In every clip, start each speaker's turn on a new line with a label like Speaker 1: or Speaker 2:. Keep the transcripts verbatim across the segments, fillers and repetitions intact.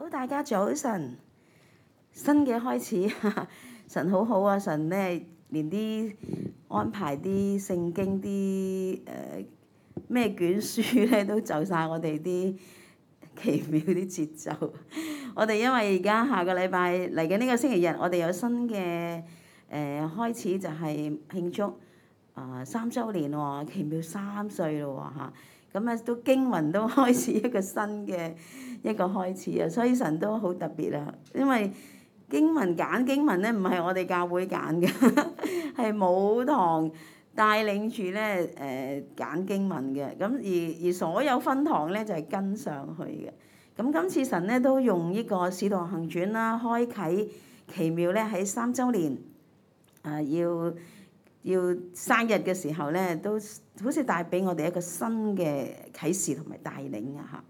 Speaker 1: 好，大家早晨，新嘅開始，神好好啊！神咧連啲安排啲聖經啲誒咩卷書咧都就晒我哋啲奇妙啲節奏。我哋因為而家下個禮拜嚟緊呢個星期日，我哋有新嘅誒、呃、開始就係慶祝啊、呃、三週年喎，奇妙三歲咯喎嚇。咁啊都經文都開始一個新嘅一個開始啊，所以神都好特別啊，因為經文揀經文咧唔係我哋教會揀嘅，係母堂帶領住咧誒揀經文嘅，咁而而所有分堂咧就係跟上去嘅。咁今次神咧都用呢個使徒行傳啦，開啓奇妙咧喺三週年啊要。要生日嘅時候咧，都好似帶俾我哋一個新嘅啟示同埋帶領啊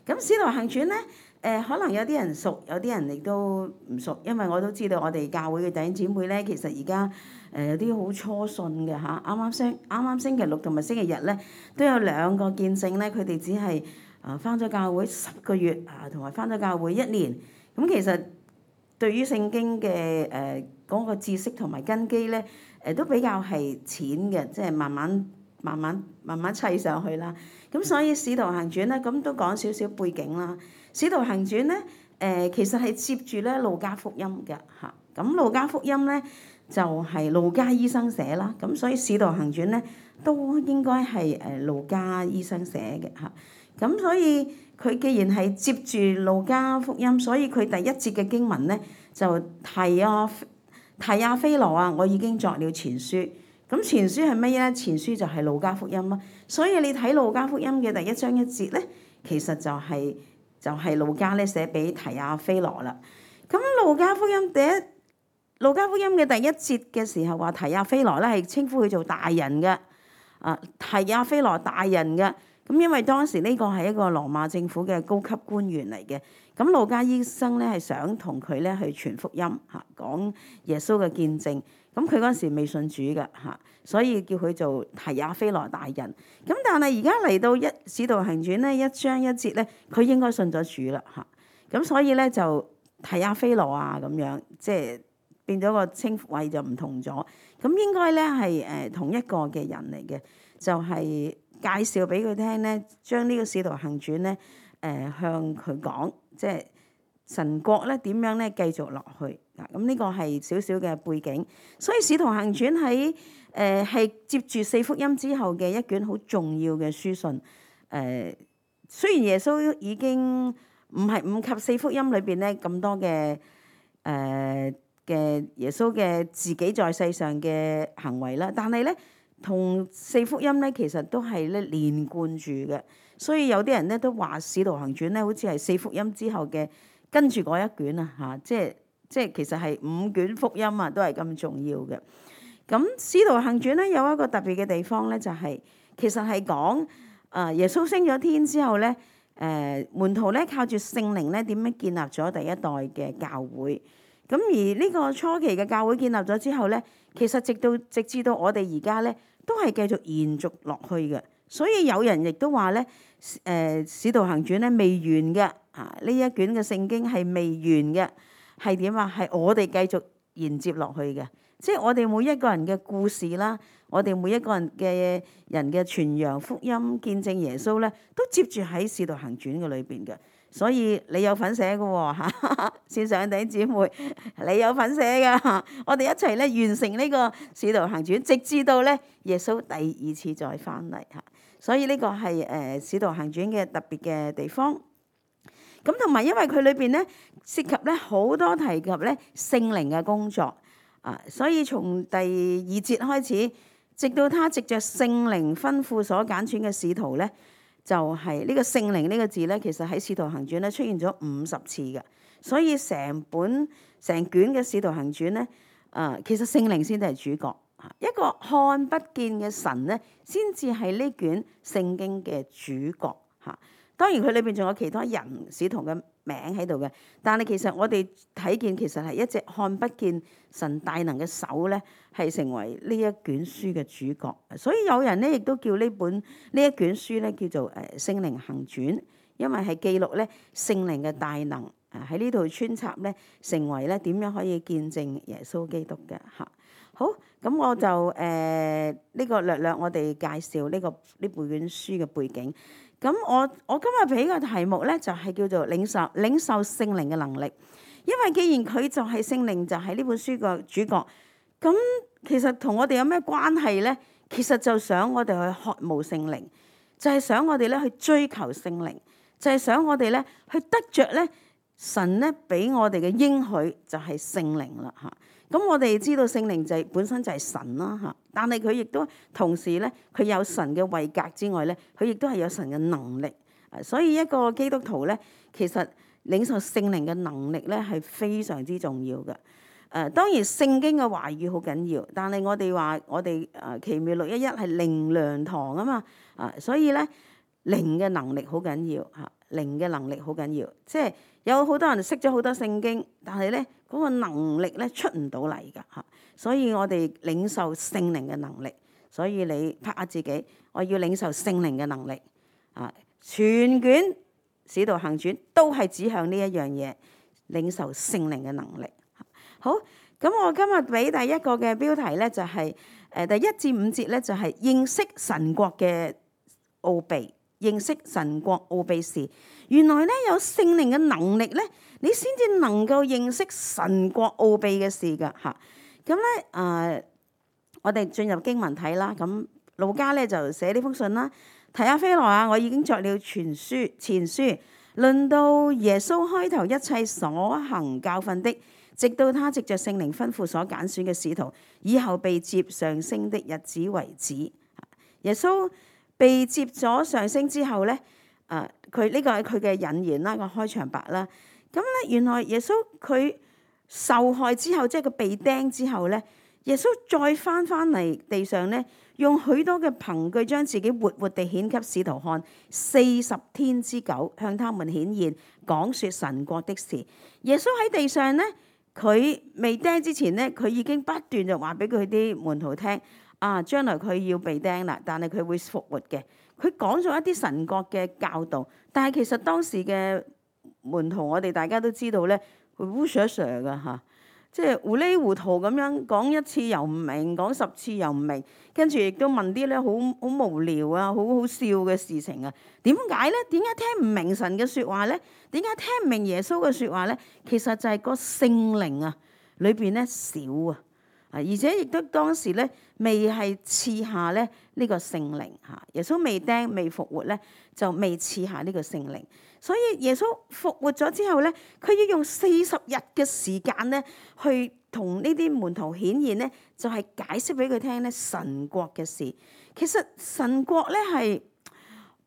Speaker 1: 嚇。咁《使徒行傳》咧，誒、呃、可能有啲人熟，有啲人亦都唔熟，因為我都知道我哋教會嘅弟兄姊妹咧，其實而家誒有啲好初信嘅嚇。啱啱星啱啱星期六同埋星期日咧，都有兩個見證咧，佢哋只係啊返咗教會十個月啊，同埋返咗教會一年。咁其實對於聖經嘅誒嗰個知識同埋根基咧，誒都比較係淺嘅，即係慢慢慢慢慢慢砌上去啦。咁所以《使徒行傳》咧，咁都講少少背景啦。《使徒行傳》咧，誒其實係接住咧路加福音嘅嚇。咁路加福音咧就係路加醫生寫啦。咁所以《使徒行傳》咧都應該係誒路加醫生寫嘅嚇。咁所以佢既然係接住路加福音，所以佢第一節嘅經文咧就提啊。提亞非羅啊，我已經作了前書。咁前書係乜嘢咧？前書就係路加福音咯。所以你睇路加福音嘅第一章一節咧，其實就係、是、就係、是、路加咧寫俾提亞非羅啦。咁路加福音第一路加福音嘅第一節嘅時候話提亞非羅咧係稱呼佢做大人嘅，啊提亞非羅大人嘅。咁因為當時呢個係一個羅馬政府嘅高級官員嚟嘅，咁路加醫生咧係想同佢咧去傳福音嚇，講耶穌嘅見證。咁佢嗰陣時未信主嘅嚇，所以叫佢做提亞非羅大人。咁但係而家嚟到一使徒行傳咧一章一節咧，佢應該信咗主啦嚇。咁所以咧就提亞非羅啊咁樣，即係變咗個稱謂就唔同咗。咁應該咧係誒同一個嘅人嚟嘅，就係、是。介紹俾佢聽咧，將呢個使徒行傳咧，誒、呃、向佢講，即係神國咧點樣咧繼續落去嗱。咁呢個係少少嘅背景，所以使徒行傳喺誒係接住四福音之後嘅一卷好重要嘅書信。誒、呃、雖然耶穌已經唔係唔及四福音裏邊咧咁多嘅誒嘅耶穌嘅自己在世上嘅行為啦，但係咧。同四福音咧，其實都係咧連貫住嘅，所以有啲人咧都話《使徒行傳》咧，好似係四福音之後嘅跟住嗰一卷啊，嚇，即係即係其實係五卷福音啊，都係咁重要嘅。咁《使徒行傳》咧有一個特別嘅地方咧，就係、是、其實係講啊耶穌升咗天之後咧，誒、呃、門徒咧靠住聖靈咧點樣建立咗第一代嘅教會。咁而呢個初期嘅教會建立咗之後咧，其實直到直至到我哋而家咧，都係繼續延續落去嘅。所以有人亦都話咧，誒、呃《使徒行傳》咧未完嘅，啊呢一卷嘅聖經係未完嘅，係點啊？係我哋繼續延接落去嘅，即係我哋每一個人嘅故事啦，我哋每一個人嘅人嘅傳揚福音、見證耶穌咧，都接住喺《使徒行傳》嘅裏邊嘅。所以你有份寫嘅喎嚇，線上弟兄姊妹，你有份寫嘅，我哋一齊咧完成呢個使徒行傳，直至到咧耶穌第二次再翻嚟嚇。所以呢個係誒使徒行傳嘅特別嘅地方。咁同埋因為佢裏邊咧涉及咧好多提及咧聖靈嘅工作啊，所以從第二節開始，直到他藉着聖靈吩咐所揀選嘅使徒咧。就係呢個聖靈呢個字咧，其實喺《使徒行傳》咧出現咗五十次嘅，所以成本成卷嘅《使徒行傳》咧，誒、呃、其實聖靈先至係主角，一個看不見嘅神咧，先至係呢卷聖經嘅主角嚇。當然佢裏邊仲有其他人使徒嘅名喺度嘅，但係其實我哋睇見其實係一隻看不見神大能嘅手咧，係成為呢一卷書嘅主角。所以有人咧亦都叫呢本呢一卷書咧叫做誒聖靈行傳，因為係記錄咧聖靈嘅大能啊喺呢度穿插咧，成為咧點樣可以見證耶穌基督嘅嚇。好，咁我就誒呢、呃這個略略我哋介紹呢、這個呢本書嘅背景。咁我我今日俾個題目咧就係、是、叫做領受領受聖靈嘅能力，因為既然佢就係聖靈，就係呢本書嘅主角，咁其實同我哋有咩關係咧？其實就想我哋去渴慕聖靈，就係、是、想我哋咧去追求聖靈，就係、是、想我哋咧去得着咧神咧俾我哋嘅應許就係聖靈啦嚇。咁我哋知道聖靈就係本身就係神啦嚇，但係佢亦都同時咧，佢有神嘅位格之外咧，佢亦都係有神嘅能力。所以一個基督徒咧，其實領受聖靈嘅能力咧係非常之重要嘅。誒、呃、當然聖經嘅話語好緊要，但係我哋話我哋誒奇妙六一一係靈糧堂啊嘛，啊所以咧靈嘅能力好緊要嚇，靈嘅能力好緊要，即係有好多人識咗好多聖經，但係咧嗰個能力咧出唔到嚟㗎嚇，所以我哋領受聖靈嘅能力，所以你拍下自己，我要領受聖靈嘅能力啊！全卷使徒行傳都係指向呢一樣嘢，領受聖靈嘅能力。好，咁我今日俾第一個嘅標題咧就係誒第一至五節咧就係認識神國嘅奧秘。認識神國奧秘時，原來咧有聖靈嘅能力咧，你先至能夠認識神國奧秘嘅事㗎嚇。咁咧誒，我哋進入經文睇啦。咁路加咧就寫呢封信啦，提阿非羅啊，我已經作了全書前書，論到耶穌開頭一切所行教訓的，直到他藉着聖靈吩咐所揀選嘅使徒，以後被接上升的日子為止。耶穌被接咗上升之後咧，誒佢呢個係佢嘅引言啦，個開場白啦。咁咧原來耶穌佢受害之後，即係佢被釘之後咧，耶穌再翻翻嚟地上咧，用許多嘅憑據將自己活活地顯給使徒看，四十天之久向他們顯現，講説神國的事。耶穌喺地上咧，佢未釘之前咧，佢已經不斷就話俾佢啲門徒聽。啊！將來佢要被釘啦，但係佢會復活嘅。佢講咗一啲神國嘅教導，但係其實當時嘅門徒，我哋大家都知道咧，佢烏蛇蛇㗎嚇，即係糊裡糊塗咁樣講一次又唔明，講十次又唔明，跟住亦都問啲咧好好無聊啊、好好笑嘅事情啊。點解咧？點解聽唔明神嘅説話咧？點解聽唔明耶穌嘅説話咧？其實就係個聖靈啊，裏邊咧少啊。而且亦都當時咧未係賜下咧呢個聖靈嚇，耶穌未釘未復活咧就未賜下呢個聖靈，所以耶穌復活咗之後咧，佢要用四十日嘅時間咧去同呢啲門徒顯現咧，就係解釋俾佢聽咧神國嘅事。其實神國咧係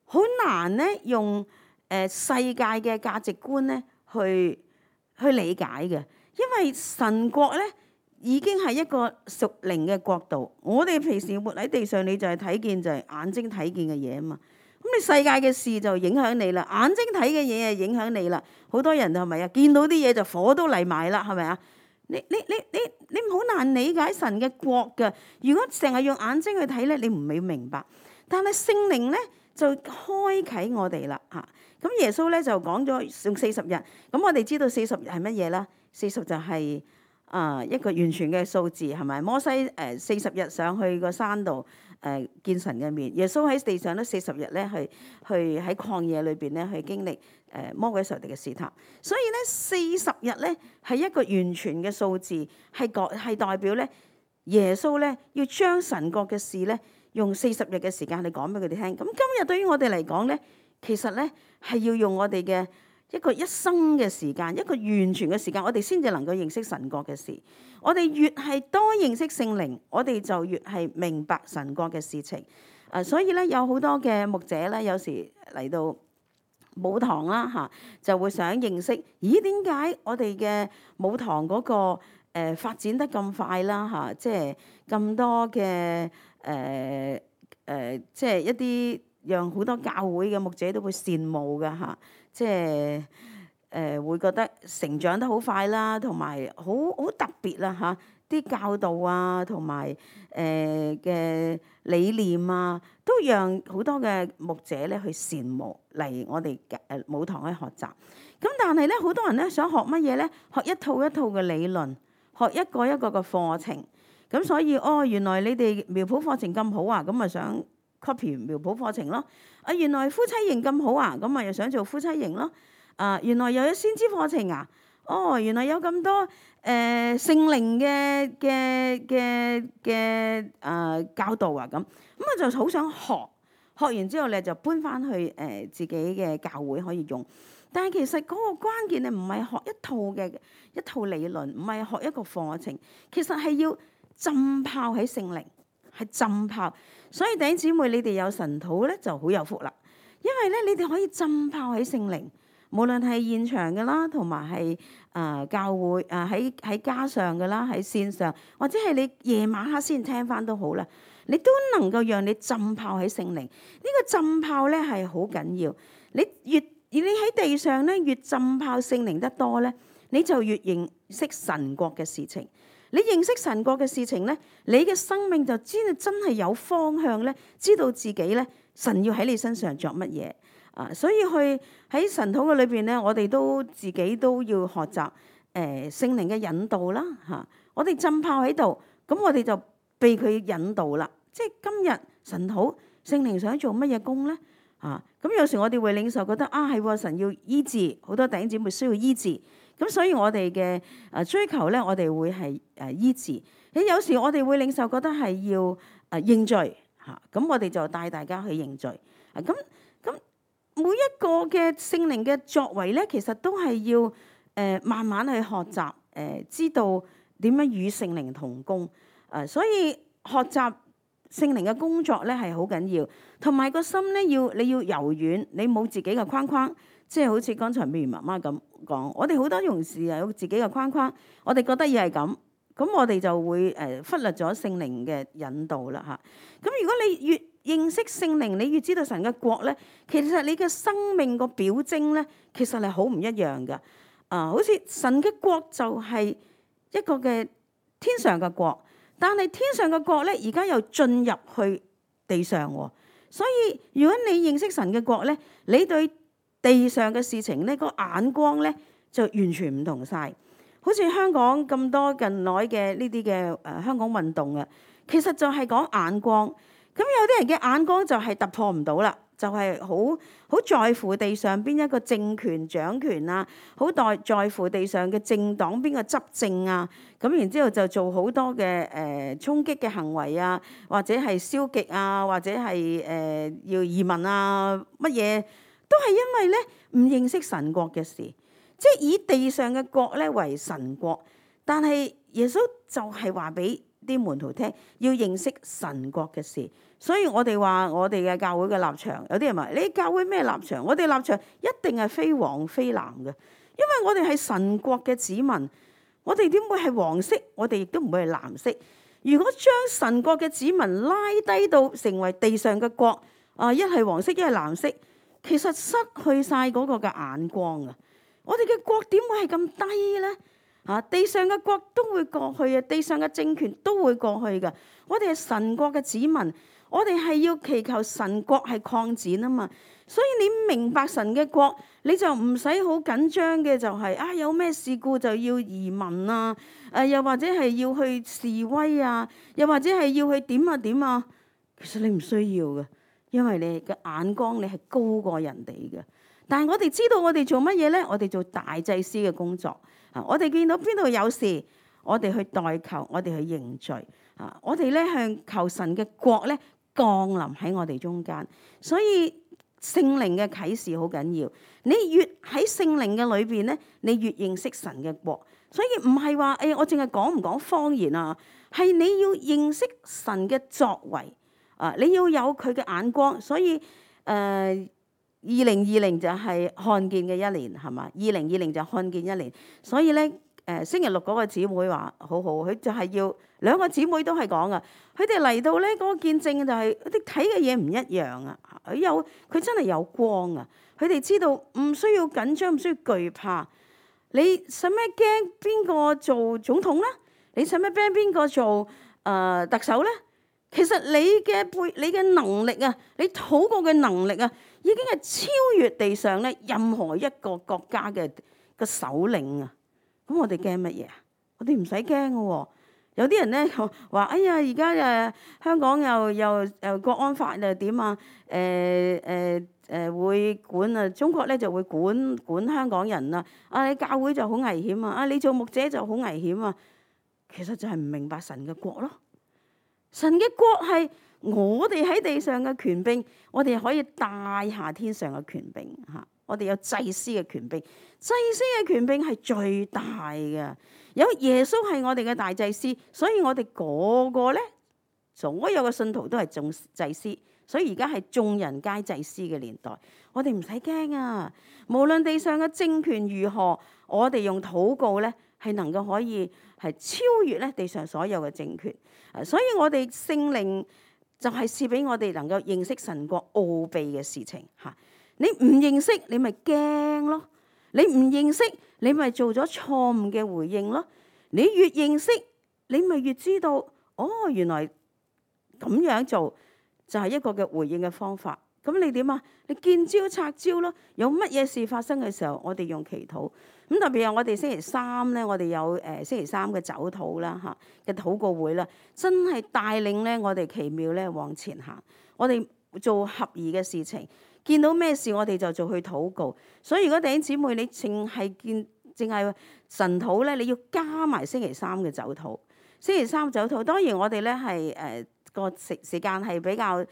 Speaker 1: 好難咧用誒世界嘅價值觀咧去去理解嘅，因為神國咧已經係一個屬靈嘅國度。我哋平時活喺地上，你就係睇見就係眼睛睇見嘅嘢啊嘛。咁你世界嘅事就影響你啦，眼睛睇嘅嘢就影響你啦。好多人係咪啊？見到啲嘢就火都嚟埋啦，係咪啊？你你你你你好難理解神嘅國㗎。如果成日用眼睛去睇咧，你唔會明白。但係聖靈咧就開啟我哋啦嚇。咁耶穌咧就講咗用四十日。咁我哋知道四十日係乜嘢啦？四十就係、是。啊，一個完全嘅數字係咪？摩西誒四十日上去個山度誒、呃、見神嘅面，耶穌喺地上咧四十日咧去去喺曠野裏邊咧去經歷誒、呃、魔鬼仇敵嘅試探。所以咧四十日咧係一個完全嘅數字，係代係代表咧耶穌咧要將神國嘅事咧用四十日嘅時間嚟講俾佢哋聽。咁今日對於我哋嚟講咧，其實咧係要用我哋嘅一個一生嘅時間，一個完全嘅時間，我哋先至能夠認識神國嘅事。我哋越係多認識聖靈，我哋就越係明白神國嘅事情。啊，所以咧有好多嘅牧者咧，有時嚟到母堂啦嚇，就會想認識，咦點解我哋嘅母堂嗰個誒發展得咁快啦嚇？即係咁多嘅誒誒，即係一啲讓好多教會嘅牧者都會羨慕㗎嚇。即係誒、呃、會覺得成長得好快啦，同埋好好特別啦嚇。啲教導啊，同埋誒嘅理念啊，都讓好多嘅牧者咧去羨慕嚟我哋誒舞堂去學習。咁但係咧，好多人咧想學乜嘢咧？學一套一套嘅理論，學一個一個嘅課程。咁所以哦，原來你哋苗圃課程咁好啊，咁咪想 copy 苗圃課程咯。啊，原來夫妻營咁好啊，咁咪又想做夫妻營咯。啊，原來又有先知課程啊。哦，原來有咁多誒聖靈嘅嘅嘅嘅誒教導啊，咁咁我就好想學，學完之後咧就搬翻去誒、呃、自己嘅教會可以用。但係其實嗰個關鍵咧唔係學一套嘅一套理論，唔係學一個課程，其實係要浸泡喺聖靈，係浸泡。所以弟兄姊妹，你哋有神土咧就好有福啦，因為咧你哋可以浸泡喺聖靈。無論係現場嘅啦，同埋係誒教會誒喺喺家上嘅啦，喺線上，或者係你夜晚黑先聽翻都好啦，你都能夠讓你浸泡喺聖靈。呢個浸泡咧係好緊要。你越而你喺地上咧越浸泡聖靈得多咧，你就越認識神國嘅事情。你認識神國嘅事情咧，你嘅生命就知道真係有方向咧，知道自己咧神要喺你身上作乜嘢。啊，所以去喺神土嘅裏邊咧，我哋都自己都要學習誒、呃、聖靈嘅引導啦嚇、啊。我哋浸泡喺度，咁我哋就被佢引導啦。即係今日神土聖靈想做乜嘢工咧？啊，咁有時我哋會領受覺得啊係喎，神要醫治，好多弟兄姊妹需要醫治，咁所以我哋嘅誒追求咧，我哋會係誒醫治。你有時我哋會領受覺得係要誒認罪嚇，咁、啊、我哋就帶大家去認罪啊咁。每一個嘅聖靈嘅作為咧，其實都係要誒、呃、慢慢去學習，誒、呃、知道點樣與聖靈同工。誒、呃、所以學習聖靈嘅工作咧係好緊要，同埋個心咧要你要柔軟，你冇自己嘅框框，即係好似剛才美如媽媽咁講，我哋好多同事啊有自己嘅框框，我哋覺得要係咁，咁我哋就會誒忽略咗聖靈嘅引導啦嚇。咁如果你越認識聖靈，你越知道神嘅國咧，其實你嘅生命個表徵咧，其實係好唔一樣噶。啊，好似神嘅國就係一個嘅天上嘅國，但係天上嘅國咧，而家又進入去地上喎。所以如果你認識神嘅國咧，你對地上嘅事情咧，個眼光咧就完全唔同晒。好似香港咁多近來嘅呢啲嘅誒香港運動啊，其實就係講眼光。咁有啲人嘅眼光就係突破唔到啦，就係好好在乎地上邊一個政權掌權啊，好在在乎地上嘅政黨邊個執政啊，咁然之後就做好多嘅誒、呃、衝擊嘅行為啊，或者係消極啊，或者係誒、呃、要移民啊，乜嘢都係因為咧唔認識神國嘅事，即係以地上嘅國咧為神國，但係耶穌就係話俾啲門徒聽要認識神國嘅事。所以我哋話我哋嘅教會嘅立場，有啲人話你教會咩立場？我哋立場一定係非黃非藍嘅，因為我哋係神國嘅子民，我哋點會係黃色？我哋亦都唔會係藍色。如果將神國嘅子民拉低到成為地上嘅國，啊一係黃色，一係藍色，其實失去晒嗰個嘅眼光啊！我哋嘅國點會係咁低咧？啊，地上嘅國都會過去啊，地上嘅政權都會過去嘅。我哋係神國嘅子民。我哋係要祈求神國係擴展啊嘛，所以你明白神嘅國，你就唔使好緊張嘅，就係啊有咩事故就要移民啊，誒又或者係要去示威啊，又或者係要去點啊點啊，其實你唔需要嘅，因為你嘅眼光你係高過人哋嘅。但係我哋知道我哋做乜嘢咧？我哋做大祭司嘅工作啊！我哋見到邊度有事，我哋去代求，我哋去認罪啊！我哋咧向求神嘅國咧降臨喺我哋中間，所以聖靈嘅啟示好緊要。你越喺聖靈嘅裏邊咧，你越認識神嘅國。所以唔係話誒，我淨係講唔講方言啊，係你要認識神嘅作為啊，你要有佢嘅眼光。所以誒，二零二零就係看見嘅一年，係嘛？二零二零就看見一年。所以咧。誒星期六嗰個姊妹話好好，佢就係要兩個姊妹都係講啊，佢哋嚟到咧嗰個見證就係佢哋睇嘅嘢唔一樣啊，佢有佢真係有光啊，佢哋知道唔需要緊張，唔需要懼怕，你使咩驚邊個做總統啦？你使乜 ban 邊個做誒、呃、特首咧？其實你嘅背你嘅能力啊，你禱告嘅能力啊，已經係超越地上咧任何一個國家嘅個首領啊！咁我哋驚乜嘢啊？我哋唔使驚嘅喎。有啲人咧話：哎呀，而家誒香港又又又國安法又點啊？誒誒誒會管啊，中國咧就會管管香港人啊！啊，你教會就好危險啊！啊，你做牧者就好危險啊！其實就係唔明白神嘅國咯。神嘅國係我哋喺地上嘅權柄，我哋可以帶下天上嘅權柄嚇。我哋有祭司嘅權柄，祭司嘅權柄係最大嘅。有耶穌係我哋嘅大祭司，所以我哋個個咧，所有嘅信徒都係眾祭司。所以而家係眾人皆祭司嘅年代，我哋唔使驚啊！無論地上嘅政權如何，我哋用禱告咧係能夠可以係超越咧地上所有嘅政權。所以我哋聖靈就係賜俾我哋能夠認識神國奧秘嘅事情嚇。你唔認識，你咪驚咯；你唔認識，你咪做咗錯誤嘅回應咯。你越認識，你咪越知道，哦，原來咁樣做就係一個嘅回應嘅方法。咁你點啊？你見招拆招咯。有乜嘢事發生嘅時候，我哋用祈禱。咁特別係我哋星期三咧，我哋有誒星期三嘅早禱啦嚇嘅禱告會啦，真係帶領咧我哋奇妙咧往前行。我哋做合宜嘅事情，見到咩事我哋就做去禱告。所以如果弟兄姊妹你淨係見淨係神禱咧，你要加埋星期三嘅早禱。星期三早禱，當然我哋咧係誒個時時間係比較誒、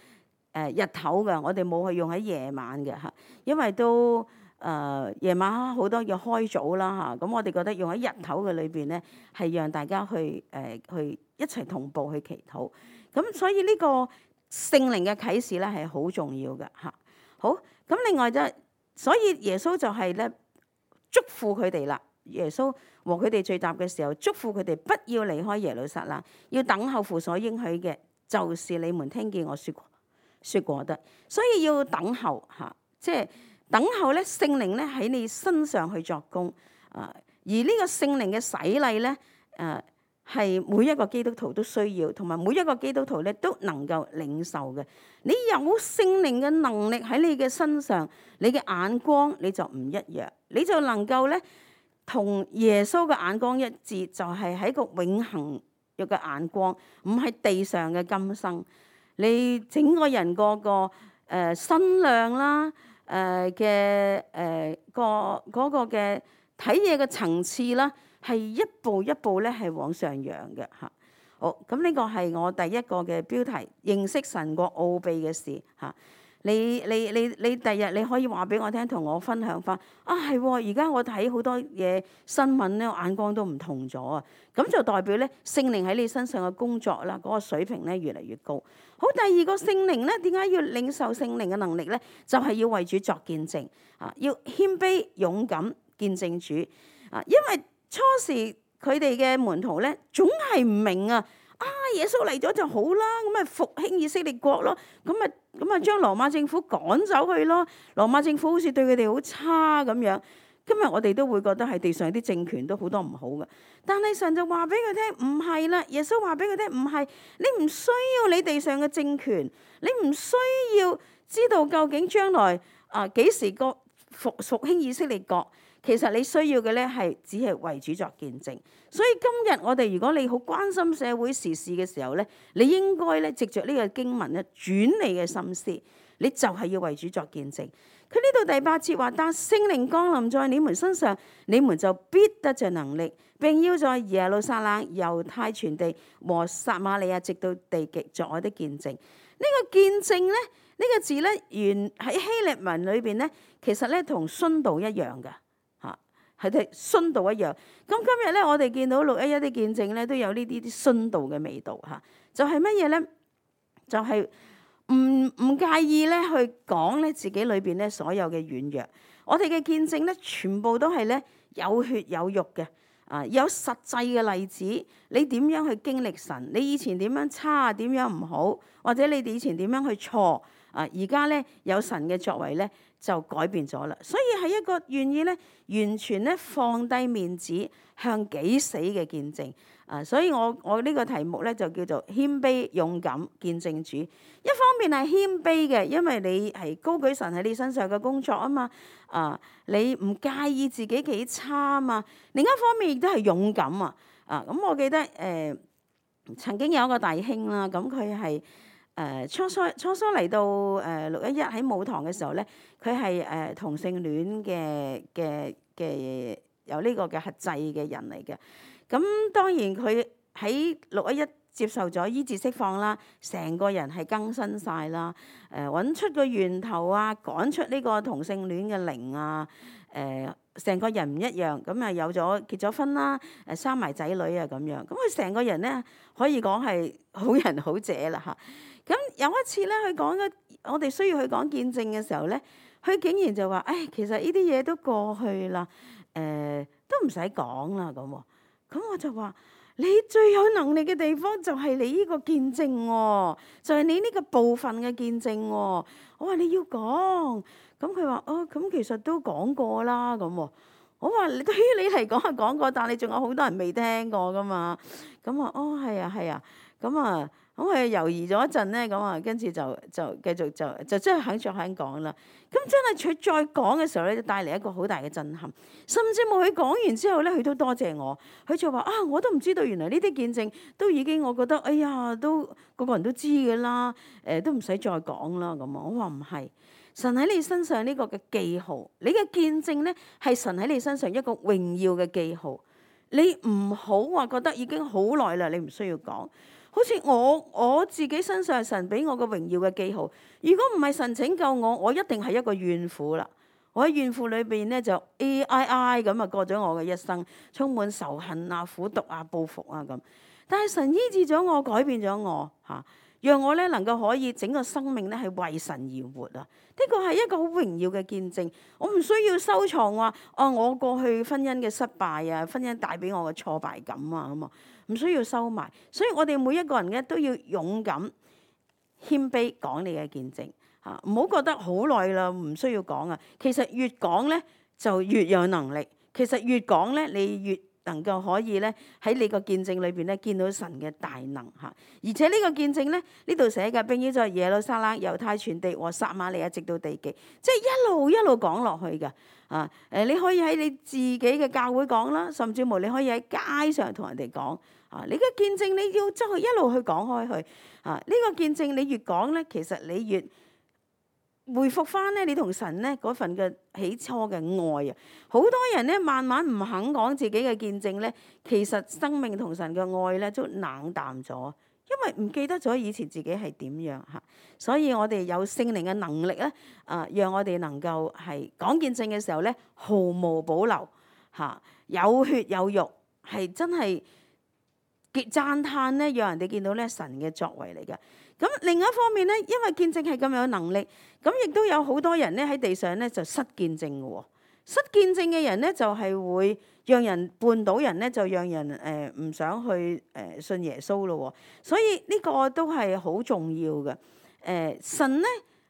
Speaker 1: 呃、日頭嘅，我哋冇去用喺夜晚嘅嚇，因為都。誒、呃、夜晚好多要開早啦嚇，咁、啊、我哋覺得用喺日頭嘅裏邊咧，係讓大家去誒、呃、去一齊同步去祈禱。咁所以呢個聖靈嘅啟示咧係好重要嘅嚇。好，咁另外就所以耶穌就係咧囑咐佢哋啦。耶穌和佢哋聚集嘅時候，囑咐佢哋不要離開耶路撒冷，要等候父所應許嘅，就是你們聽見我説過説過的。所以要等候嚇、啊，即係。等候咧，聖靈咧喺你身上去作工啊！而呢個聖靈嘅洗禮咧，誒係每一個基督徒都需要，同埋每一個基督徒咧都能夠領受嘅。你有聖靈嘅能力喺你嘅身上，你嘅眼光你就唔一樣，你就能夠咧同耶穌嘅眼光一致，就係喺個永恆嘅眼光，唔係地上嘅今生。你整個人個個誒身量啦。誒嘅誒個嗰個嘅睇嘢嘅層次啦，係一步一步咧係往上揚嘅嚇。好，咁呢個係我第一個嘅標題，認識神國奧秘嘅事嚇。你你你你第日你可以話俾我聽，同我分享翻啊，係喎，而家我睇好多嘢新聞咧，眼光都唔同咗啊。咁就代表咧聖靈喺你身上嘅工作啦，嗰個水平咧越嚟越高。好，第二個聖靈咧，點解要領受聖靈嘅能力咧？就係要為主作見證啊，要謙卑勇敢見證主啊。因為初時佢哋嘅門徒咧，總係唔明啊。啊，耶穌嚟咗就好啦，咁咪復興以色列國咯，咁咪咁咪將羅馬政府趕走去咯。羅馬政府好似對佢哋好差咁樣。今日我哋都會覺得係地上啲政權都好多唔好嘅，但係神就話俾佢聽唔係啦。耶穌話俾佢聽唔係，你唔需要你地上嘅政權，你唔需要知道究竟將來啊幾時個復復興以色列國。其實你需要嘅咧係只係為主作見證。所以今日我哋如果你好關心社會時事嘅時候咧，你應該咧藉着呢個經文咧轉你嘅心思，你就係要為主作見證。佢呢度第八節話：但聖靈降臨在你們身上，你們就必得着能力，並要在耶路撒冷、猶太全地和撒瑪利亞直到地極作我的見證。呢、這個見證咧，呢、這個字咧原喺希臘文裏邊咧，其實咧同殉道一樣嘅。係睇殉道一樣，咁今日咧，我哋見到六一一啲見證咧，都有呢啲啲殉道嘅味道嚇。就係乜嘢咧？就係唔唔介意咧去講咧自己裏邊咧所有嘅軟弱。我哋嘅見證咧，全部都係咧有血有肉嘅啊，有實際嘅例子。你點樣去經歷神？你以前點樣差？點樣唔好？或者你哋以前點樣去錯？啊！而家咧有神嘅作為咧，就改變咗啦。所以係一個願意咧完全咧放低面子向己死嘅見證啊！所以我我呢個題目咧就叫做謙卑勇敢見證主。一方面係謙卑嘅，因為你係高舉神喺你身上嘅工作啊嘛啊！你唔介意自己幾差啊嘛。另一方面亦都係勇敢啊啊！咁我記得誒、呃、曾經有一個弟兄啦，咁佢係誒初初初初嚟到誒六一一喺舞堂嘅時候咧，佢係誒同性戀嘅嘅嘅有呢個嘅核制嘅人嚟嘅。咁當然佢喺六一一接受咗醫治釋放啦，成個人係更新晒啦。誒、呃、揾出個源頭啊，趕出呢個同性戀嘅靈啊。誒、呃、成個人唔一樣，咁啊有咗結咗婚啦，誒生埋仔女啊咁樣。咁佢成個人咧可以講係好人好姐啦嚇。咁有一次咧，佢講嘅我哋需要去講見證嘅時候咧，佢竟然就話：誒、哎、其實呢啲嘢都過去啦，誒、呃、都唔使講啦咁喎。咁我就話：你最有能力嘅地方就係你呢個見證喎、哦，就係、是、你呢個部分嘅見證喎、哦。我話你要講，咁佢話：哦，咁其實都講過啦咁喎。我話對於你嚟講係講過，但係你仲有好多人未聽過噶嘛。咁啊，哦係啊係啊，咁啊。咁佢猶豫咗一陣咧，咁啊，跟住就就繼續就就真係肯再肯講啦。咁真係佢再講嘅時候咧，就帶嚟一個好大嘅震撼。甚至冇佢講完之後咧，佢都多謝我。佢就話啊，我都唔知道原來呢啲見證都已經，我覺得哎呀，都個個人都知嘅啦。誒、呃，都唔使再講啦。咁啊，我話唔係，神喺你身上呢個嘅記號，你嘅見證咧係神喺你身上一個榮耀嘅記號。你唔好話覺得已經好耐啦，你唔需要講。好似我我自己身上神俾我個榮耀嘅記號，如果唔係神拯救我，我一定係一個怨婦啦。我喺怨婦裏邊咧就 A I I 咁啊過咗我嘅一生，充滿仇恨啊、苦毒啊、報復啊咁。但係神醫治咗我，改變咗我嚇，讓我咧能夠可以整個生命咧係為神而活啊！呢個係一個好榮耀嘅見證。我唔需要收藏話哦，我過去婚姻嘅失敗啊，婚姻帶俾我嘅挫敗感啊咁啊。唔需要收埋，所以我哋每一個人咧都要勇敢、謙卑講你嘅見證嚇，唔好覺得好耐啦，唔需要講啊。其實越講咧就越有能力，其實越講咧你越能夠可以咧喺你個見證裏邊咧見到神嘅大能嚇。而且呢個見證咧呢度寫嘅並要在耶路撒冷、猶太全地和撒瑪利亞直到地極，即係一路一路講落去嘅。啊誒，你可以喺你自己嘅教會講啦，甚至乎你可以喺街上同人哋講。啊！你嘅見證你要即係一路去講開去啊！呢、這個見證你越講咧，其實你越回復翻咧，你同神咧嗰份嘅起初嘅愛啊！好多人咧慢慢唔肯講自己嘅見證咧，其實生命同神嘅愛咧都冷淡咗，因為唔記得咗以前自己係點樣嚇。所以我哋有聖靈嘅能力咧，啊，讓我哋能夠係講見證嘅時候咧，毫無保留嚇，有血有肉，係真係。讚歎咧，讓人哋見到咧神嘅作為嚟嘅。咁另一方面咧，因為見證係咁有能力，咁亦都有好多人咧喺地上咧就失見證嘅喎。失見證嘅人咧就係會讓人絆倒人咧，就讓人誒唔想去誒信耶穌咯。所以呢個都係好重要嘅。誒神咧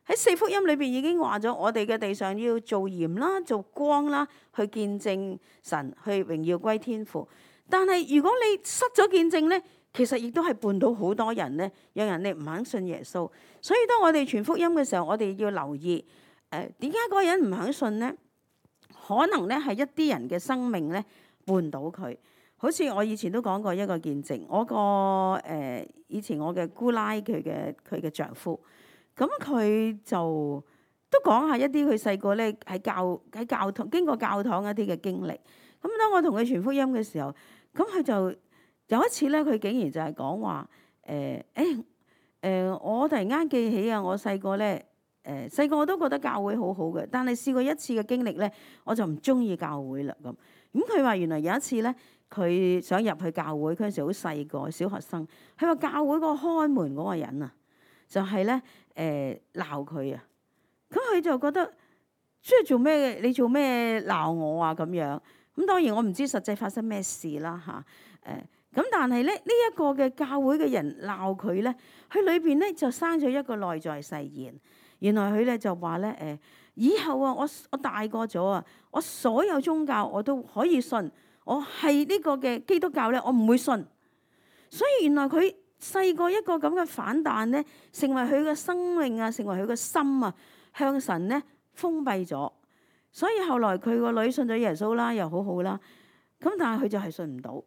Speaker 1: 喺四福音裏邊已經話咗，我哋嘅地上要做鹽啦、做光啦，去見證神，去榮耀歸天父。但係如果你失咗見證咧，其實亦都係絆倒好多人咧，讓人哋唔肯信耶穌。所以當我哋傳福音嘅時候，我哋要留意誒點解嗰個人唔肯信咧？可能咧係一啲人嘅生命咧絆倒佢。好似我以前都講過一個見證，我個誒、呃、以前我嘅姑奶佢嘅佢嘅丈夫，咁佢就都講下一啲佢細個咧喺教喺教堂經過教堂一啲嘅經歷。咁當我同佢傳福音嘅時候，咁佢就有一次咧，佢竟然就係講話誒誒誒，我突然間記起啊，我細個咧誒細個我都覺得教會好好嘅，但係試過一次嘅經歷咧，我就唔中意教會啦咁。咁佢話原來有一次咧，佢想入去教會，嗰陣時好細個小學生，佢話教會嗰個看門嗰個人啊，就係咧誒鬧佢啊，咁佢就覺得即係做咩？你做咩鬧我啊？咁樣。咁當然我唔知實際發生咩事啦嚇，誒咁但係咧呢一個嘅教會嘅人鬧佢咧，佢裏邊咧就生咗一個內在誓言。原來佢咧就話咧以後啊，我我大個咗啊，我所有宗教我都可以信，我係呢個嘅基督教咧，我唔會信。所以原來佢細個一個咁嘅反彈咧，成為佢嘅生命啊，成為佢嘅心啊，向神咧封閉咗。所以後來佢個女信咗耶穌啦，又好好啦。咁但係佢就係信唔到，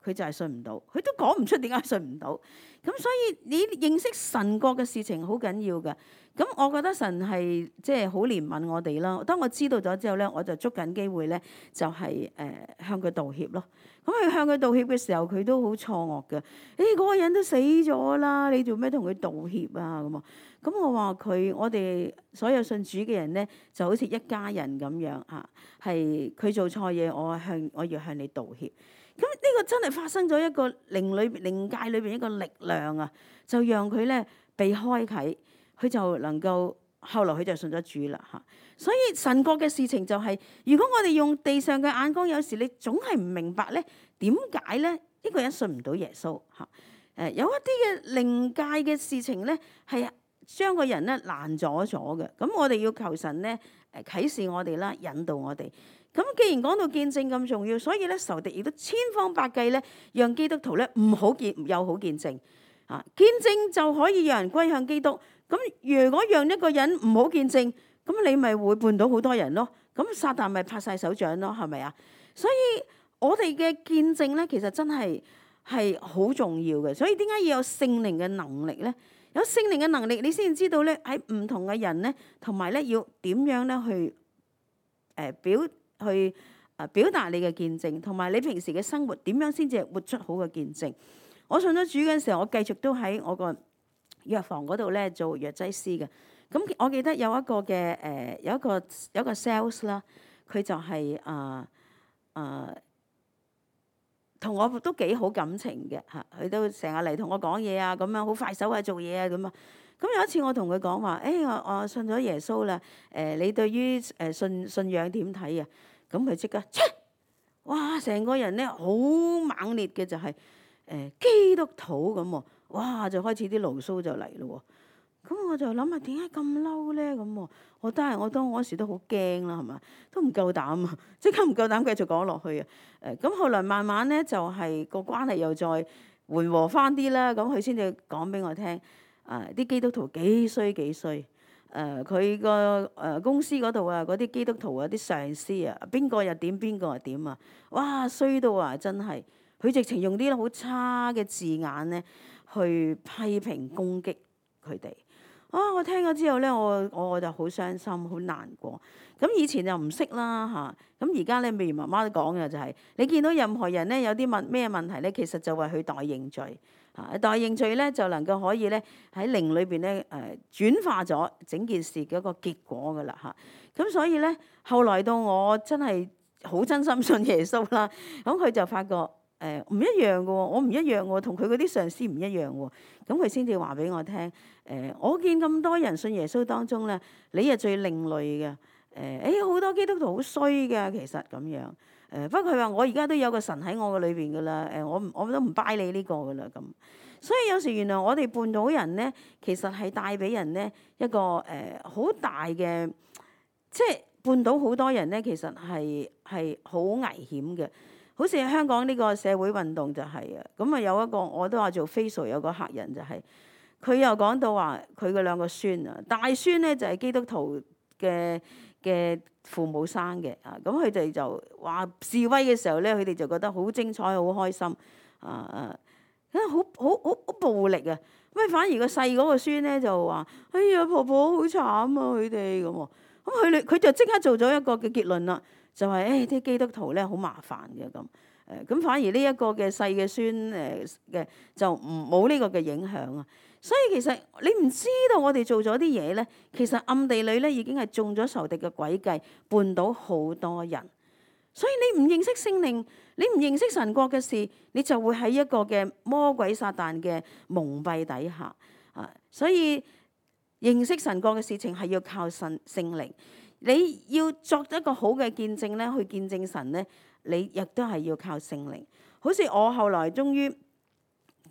Speaker 1: 佢就係信唔到，佢都講唔出點解信唔到。咁所以你認識神國嘅事情好緊要㗎。咁我覺得神係即係好憐憫我哋啦。當我知道咗之後咧，我就捉緊機會咧，就係誒向佢道歉咯。咁佢向佢道歉嘅時候，佢都好錯愕嘅。誒嗰個人都死咗啦，你做咩同佢道歉啊？咁啊，咁我話佢，我哋所有信主嘅人咧，就好似一家人咁樣嚇，係佢做錯嘢，我向我要向你道歉。咁呢個真係發生咗一個靈裏靈界裏邊一個力量啊，就讓佢咧被開啟，佢就能夠後來佢就信咗主啦嚇。所以神國嘅事情就係，如果我哋用地上嘅眼光，有時你總係唔明白咧，點解咧呢個人信唔到耶穌嚇？誒有一啲嘅靈界嘅事情咧，係將個人咧攔阻咗嘅。咁我哋要求神咧誒啟示我哋啦，引導我哋。咁既然講到見證咁重要，所以咧仇敵亦都千方百計咧，讓基督徒咧唔好見有好見證啊！見證就可以讓人歸向基督。咁如果讓一個人唔好見證，咁你咪會絆倒好多人咯。咁撒旦咪拍晒手掌咯，係咪啊？所以我哋嘅見證咧，其實真係係好重要嘅。所以點解要有聖靈嘅能力咧？有聖靈嘅能力，你先知道咧喺唔同嘅人咧，同埋咧要點樣咧去誒、呃、表。去誒表達你嘅見證，同埋你平時嘅生活點樣先至係活出好嘅見證。我信咗主嘅時候，我繼續都喺我個藥房嗰度咧做藥劑師嘅。咁我記得有一個嘅誒有一個有一個 sales 啦，佢就係誒誒同我都幾好感情嘅嚇，佢都成日嚟同我講嘢啊，咁樣好快手啊做嘢啊咁啊。咁有一次我同佢講話，誒、欸、我我信咗耶穌啦，誒、呃、你對於誒信信仰點睇啊？咁佢即刻，哇！成個人咧好猛烈嘅就係、是、誒、呃、基督徒咁喎，哇！就開始啲牢騷就嚟咯喎。咁我就諗下點解咁嬲咧？咁喎，我都係我當嗰時都好驚啦，係嘛？都唔夠膽啊，即刻唔夠膽繼續講落去啊。誒、呃、咁後來慢慢咧就係、是、個關係又再緩和翻啲啦，咁佢先至講俾我聽。啊！啲基督徒幾衰幾衰，誒佢個誒公司嗰度啊，嗰啲基督徒啊，啲上司啊，邊個又點，邊個又點啊？哇！衰到啊，真係佢直情用啲好差嘅字眼咧，去批評攻擊佢哋。啊！我聽咗之後咧，我我就好傷心，好難過。咁以前就唔識啦嚇，咁而家咧，譬如媽媽都講嘅就係、是，你見到任何人咧有啲問咩問題咧，其實就為佢代認罪。啊！代認罪咧，就能夠可以咧喺靈裏邊咧誒轉化咗整件事嘅一個結果噶啦嚇。咁所以咧，後來到我真係好真心信耶穌啦，咁佢就發覺誒唔、呃、一樣嘅喎，我唔一樣喎，同佢嗰啲上司唔一樣喎。咁佢先至話俾我聽誒、呃，我見咁多人信耶穌當中咧，你係最另類嘅誒。誒好多基督徒好衰嘅，其實咁樣。誒不過佢話我而家都有個神喺我嘅裏邊噶啦，誒我我都唔拜你呢個噶啦咁，所以有時原來我哋絆倒人咧，其實係帶俾人咧一個誒好、呃、大嘅，即係絆倒好多人咧，其實係係好危險嘅。好似香港呢個社會運動就係啊，咁啊有一個我都話做 facial 有個客人就係、是，佢又講到話佢嘅兩個孫啊，大孫咧就係、是、基督徒嘅嘅父母生嘅啊，咁佢哋就話示威嘅時候咧，佢哋就覺得好精彩、好開心啊啊，好好好好暴力啊！咁反而個細嗰個孫咧就話：哎呀，婆婆好慘啊！佢哋咁喎，咁佢哋佢就即刻做咗一個嘅結論啦，就係誒啲基督徒咧好麻煩嘅咁誒，咁反而呢一個嘅細嘅孫誒嘅就唔冇呢個嘅影響啊。所以其實你唔知道我哋做咗啲嘢咧，其實暗地裏咧已經係中咗仇敵嘅詭計，絆倒好多人。所以你唔認識聖靈，你唔認識神國嘅事，你就會喺一個嘅魔鬼撒旦嘅蒙蔽底下啊。所以認識神國嘅事情係要靠神聖靈，你要作一個好嘅見證咧，去見證神咧，你亦都係要靠聖靈。好似我後來終於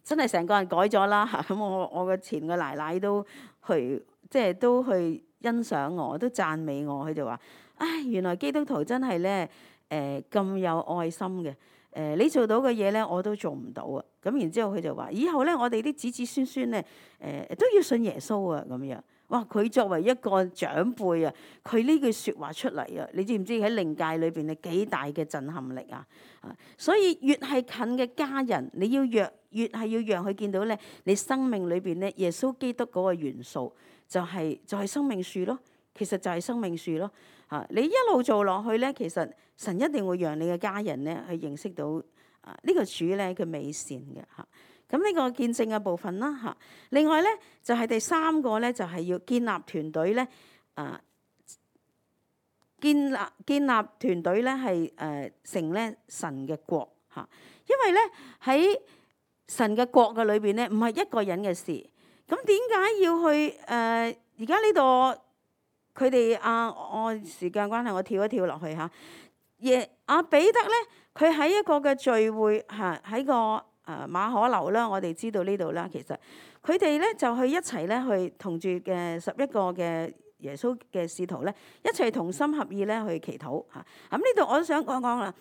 Speaker 1: 真係成個人改咗啦嚇，咁我我嘅前個奶奶都去，即係都去欣賞我，都讚美我。佢就話：唉，原來基督徒真係咧誒咁有愛心嘅。誒、呃、你做到嘅嘢咧，我都做唔到啊。咁然之後佢就話：以後咧，我哋啲子子孫孫咧誒、呃、都要信耶穌啊咁樣。哇！佢作為一個長輩啊，佢呢句説話出嚟啊，你知唔知喺靈界裏邊係幾大嘅震撼力啊？啊！所以越係近嘅家人，你要越越係要讓佢見到咧，你生命裏邊咧耶穌基督嗰個元素就係、是、就係、是、生命樹咯。其實就係生命樹咯。啊！你一路做落去咧，其實神一定會讓你嘅家人咧去認識到啊呢個主咧佢美善嘅嚇。咁呢個見證嘅部分啦嚇，另外咧就係、是、第三個咧就係、是、要建立團隊咧，啊建立建立團隊咧係誒成咧神嘅國嚇，因為咧喺神嘅國嘅裏邊咧唔係一個人嘅事，咁點解要去誒而家呢度佢哋啊？我時間關係，我跳一跳落去嚇。耶阿彼得咧，佢喺一個嘅聚會嚇喺個。誒馬可樓啦，我哋知道呢度啦。其實佢哋咧就去一齊咧去同住嘅十一個嘅耶穌嘅使徒咧，一齊同心合意咧去祈禱嚇。咁呢度我都想講講啦。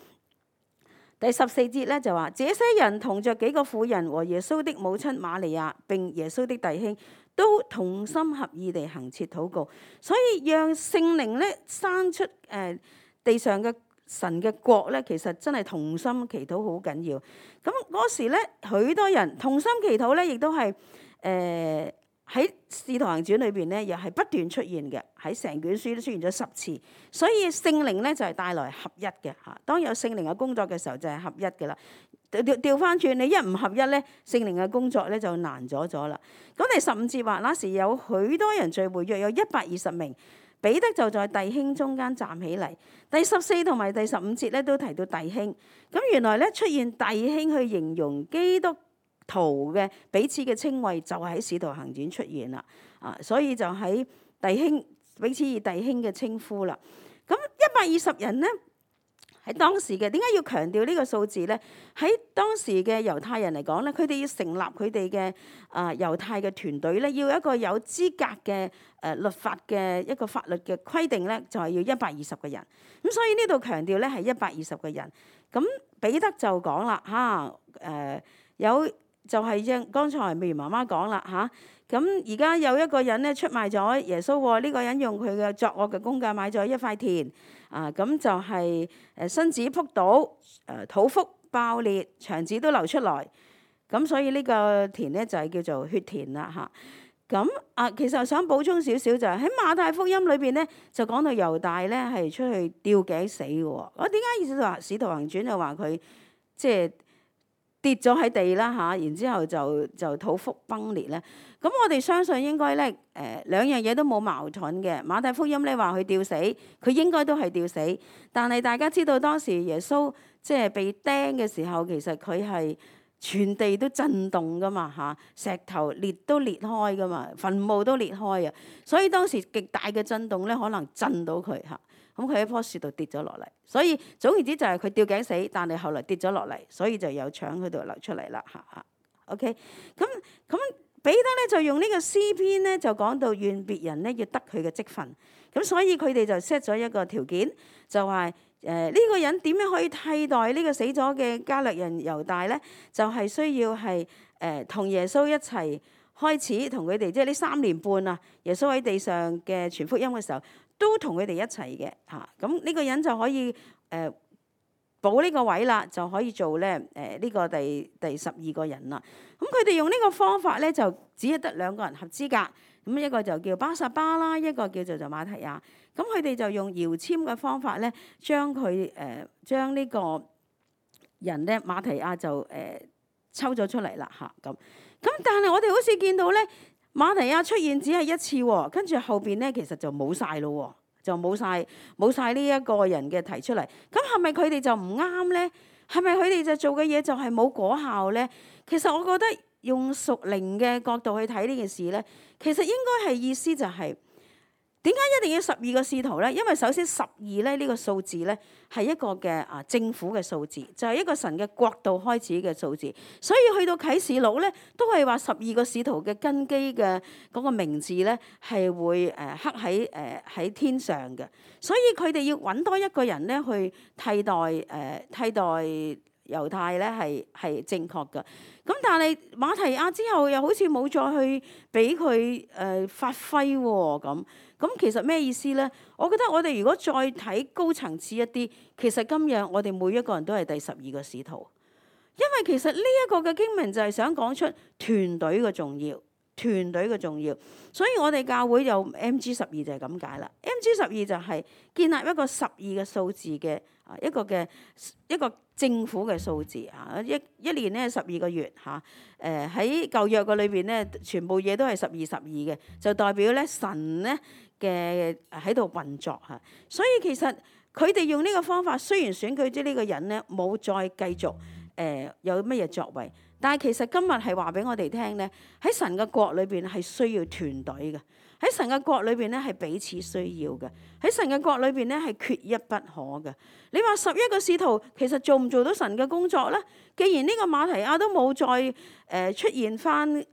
Speaker 1: 第十四節咧就話：這些人同着幾個婦人和耶穌的母親瑪利亞並耶穌的弟兄，都同心合意地行切禱告，所以讓聖靈咧生出誒、呃、地上嘅。神嘅國咧，其實真係同心祈禱好緊要。咁嗰時咧，許多人同心祈禱咧，亦都係誒喺使徒行傳裏邊咧，又係不斷出現嘅。喺成卷書都出現咗十次。所以聖靈咧就係帶來合一嘅嚇。當有聖靈嘅工作嘅時候，就係合一嘅啦。調調翻轉，你一唔合一咧，聖靈嘅工作咧就難咗咗啦。咁第十五節話，那時有許多人聚會，約有一百二十名。彼得就在弟兄中間站起嚟。第十四同埋第十五節咧都提到弟兄。咁原來咧出現弟兄去形容基督徒嘅彼此嘅稱謂，就喺使徒行傳出現啦。啊，所以就喺弟兄彼此以弟兄嘅稱呼啦。咁一百二十人咧喺當時嘅，點解要強調呢個數字咧？喺當時嘅猶太人嚟講咧，佢哋要成立佢哋嘅啊猶太嘅團隊咧，要一個有資格嘅誒、呃、律法嘅一個法律嘅規定咧，就係、是、要一百二十個人。咁所以呢度強調咧係一百二十個人。咁彼得就講啦嚇誒有就係像剛才美如媽媽講啦嚇。咁而家有一個人咧出賣咗耶穌喎，呢、這個人用佢嘅作惡嘅工價買咗一塊田。啊，咁就係誒身子仆倒，誒肚腹爆裂，腸子都流出來。咁所以呢個田咧就係叫做血田啦嚇。咁啊，其實我想補充少少就係喺馬太福音裏邊咧，就講到猶大咧係出去吊頸死嘅喎。我點解意思話使徒行傳就話佢即係跌咗喺地啦嚇，然之後就就肚腹崩裂咧。咁我哋相信應該咧，誒、呃、兩樣嘢都冇矛盾嘅。馬太福音咧話佢吊死，佢應該都係吊死。但係大家知道當時耶穌即係被釘嘅時候，其實佢係全地都震動噶嘛嚇，石頭裂都裂開噶嘛，墳墓都裂開啊。所以當時極大嘅震動咧，可能震到佢嚇。咁佢喺棵樹度跌咗落嚟，所以總言之就係佢吊頸死，但係後來跌咗落嚟，所以就有腸喺度流出嚟啦嚇嚇。OK，咁咁。彼得咧就用呢個詩篇咧就講到願別人咧要得佢嘅職分，咁所以佢哋就 set 咗一個條件，就話誒呢個人點樣可以替代呢個死咗嘅加略人猶大咧？就係、是、需要係誒同耶穌一齊開始同佢哋，即係呢三年半啊，耶穌喺地上嘅傳福音嘅時候，都同佢哋一齊嘅嚇。咁、啊、呢個人就可以誒。呃補呢個位啦，就可以做咧誒呢個第第十二個人啦。咁佢哋用呢個方法咧，就只係得兩個人合資格。咁一個就叫巴撒巴啦，一個叫做就馬提亞。咁佢哋就用搖籤嘅方法咧，將佢誒將呢個人咧馬提亞就誒、呃、抽咗出嚟啦嚇咁。咁但係我哋好似見到咧馬提亞出現只係一次喎，跟住後邊咧其實就冇晒咯喎。就冇晒冇晒呢一個人嘅提出嚟，咁係咪佢哋就唔啱咧？係咪佢哋就做嘅嘢就係冇果效咧？其實我覺得用屬靈嘅角度去睇呢件事咧，其實應該係意思就係點解一定要十二個使徒咧？因為首先十二咧呢個數字咧係一個嘅啊政府嘅數字，就係一個神嘅國度開始嘅數字。所以去到啟示錄咧，都係話十二個使徒嘅根基嘅嗰個名字咧係會誒刻喺誒喺天上嘅。所以佢哋要揾多一個人咧去替代誒、呃、替代猶太咧係係正確嘅。咁但係馬提亞之後又好似冇再去俾佢誒發揮喎咁。咁其實咩意思咧？我覺得我哋如果再睇高層次一啲，其實今日我哋每一個人都係第十二個使徒，因為其實呢一個嘅經文就係想講出團隊嘅重要，團隊嘅重要。所以我哋教會有 M G 十二就係咁解啦。M G 十二就係建立一個十二嘅數字嘅啊一個嘅一個政府嘅數字啊，一一年咧十二個月嚇。誒喺舊約嘅裏邊咧，全部嘢都係十二十二嘅，就代表咧神咧嘅喺度運作嚇。所以其實佢哋用呢個方法，雖然選舉咗呢個人咧冇再繼續誒、呃、有乜嘢作為，但係其實今日係話俾我哋聽咧，喺神嘅國裏邊係需要團隊嘅，喺神嘅國裏邊咧係彼此需要嘅，喺神嘅國裏邊咧係缺一不可嘅。你話十一個使徒其實做唔做到神嘅工作咧？既然呢個馬提亞都冇再誒、呃、出現翻，咁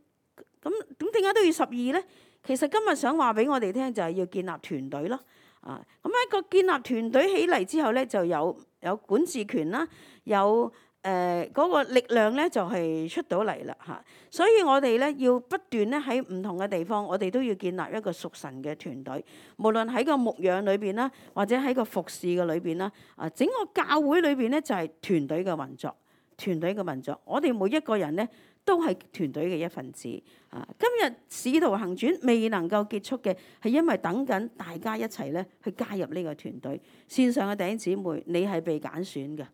Speaker 1: 咁點解都要十二咧？其實今日想話俾我哋聽就係要建立團隊咯。啊，咁一個建立團隊起嚟之後咧，就有有管治權啦，有誒嗰、呃那個力量咧就係、是、出到嚟啦嚇。所以我哋咧要不斷咧喺唔同嘅地方，我哋都要建立一個屬神嘅團隊。無論喺個牧養裏邊啦，或者喺個服侍嘅裏邊啦，啊整個教會裏邊咧就係、是、團隊嘅運作，團隊嘅運作。我哋每一個人咧都係團隊嘅一份子。啊，今日使徒行傳未能夠結束嘅係因為等緊大家一齊咧去加入呢個團隊。線上嘅弟兄姊妹，你係被揀選嘅。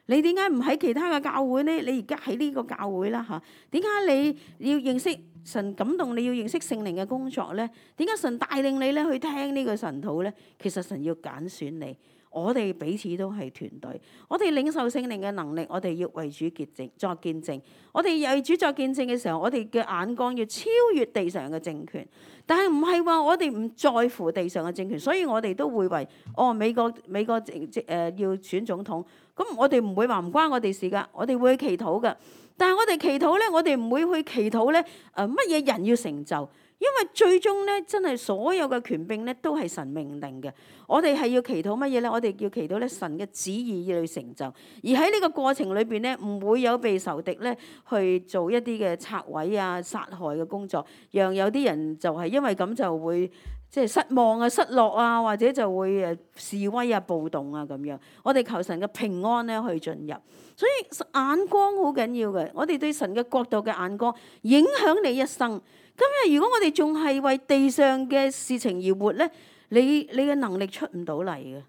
Speaker 1: 你點解唔喺其他嘅教會咧？你而家喺呢個教會啦嚇？點解你要認識神感動？你要認識聖靈嘅工作咧？點解神帶領你咧去聽呢個神道咧？其實神要揀選你。我哋彼此都係團隊，我哋領受聖靈嘅能力，我哋要為主潔淨作見證。我哋為主作見證嘅時候，我哋嘅眼光要超越地上嘅政權。但係唔係話我哋唔在乎地上嘅政權，所以我哋都會為哦美國美國誒誒、呃、要選總統，咁我哋唔會話唔關我哋事㗎，我哋會去祈禱㗎。但係我哋祈禱咧，我哋唔會去祈禱咧誒乜嘢人要成就。因為最終咧，真係所有嘅權柄咧，都係神命令嘅。我哋係要祈禱乜嘢咧？我哋要祈禱咧，神嘅旨意要去成就。而喺呢個過程裏邊咧，唔會有被仇敵咧去做一啲嘅拆毀啊、殺害嘅工作，讓有啲人就係因為咁就會即係失望啊、失落啊，或者就會誒示威啊、暴動啊咁樣。我哋求神嘅平安咧去進入，所以眼光好緊要嘅。我哋對神嘅國度嘅眼光影響你一生。今日如果我哋仲係為地上嘅事情而活咧，你你嘅能力出唔到嚟嘅，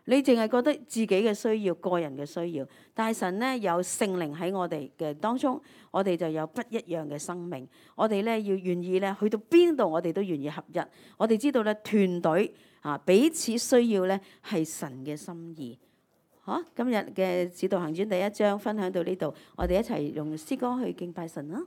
Speaker 1: 你淨係覺得自己嘅需要、個人嘅需要。但係神咧有聖靈喺我哋嘅當中，我哋就有不一樣嘅生命。我哋咧要願意咧去到邊度，我哋都願意合一。我哋知道咧團隊啊彼此需要咧係神嘅心意。好、啊，今日嘅使徒行傳第一章分享到呢度，我哋一齊用詩歌去敬拜神啦。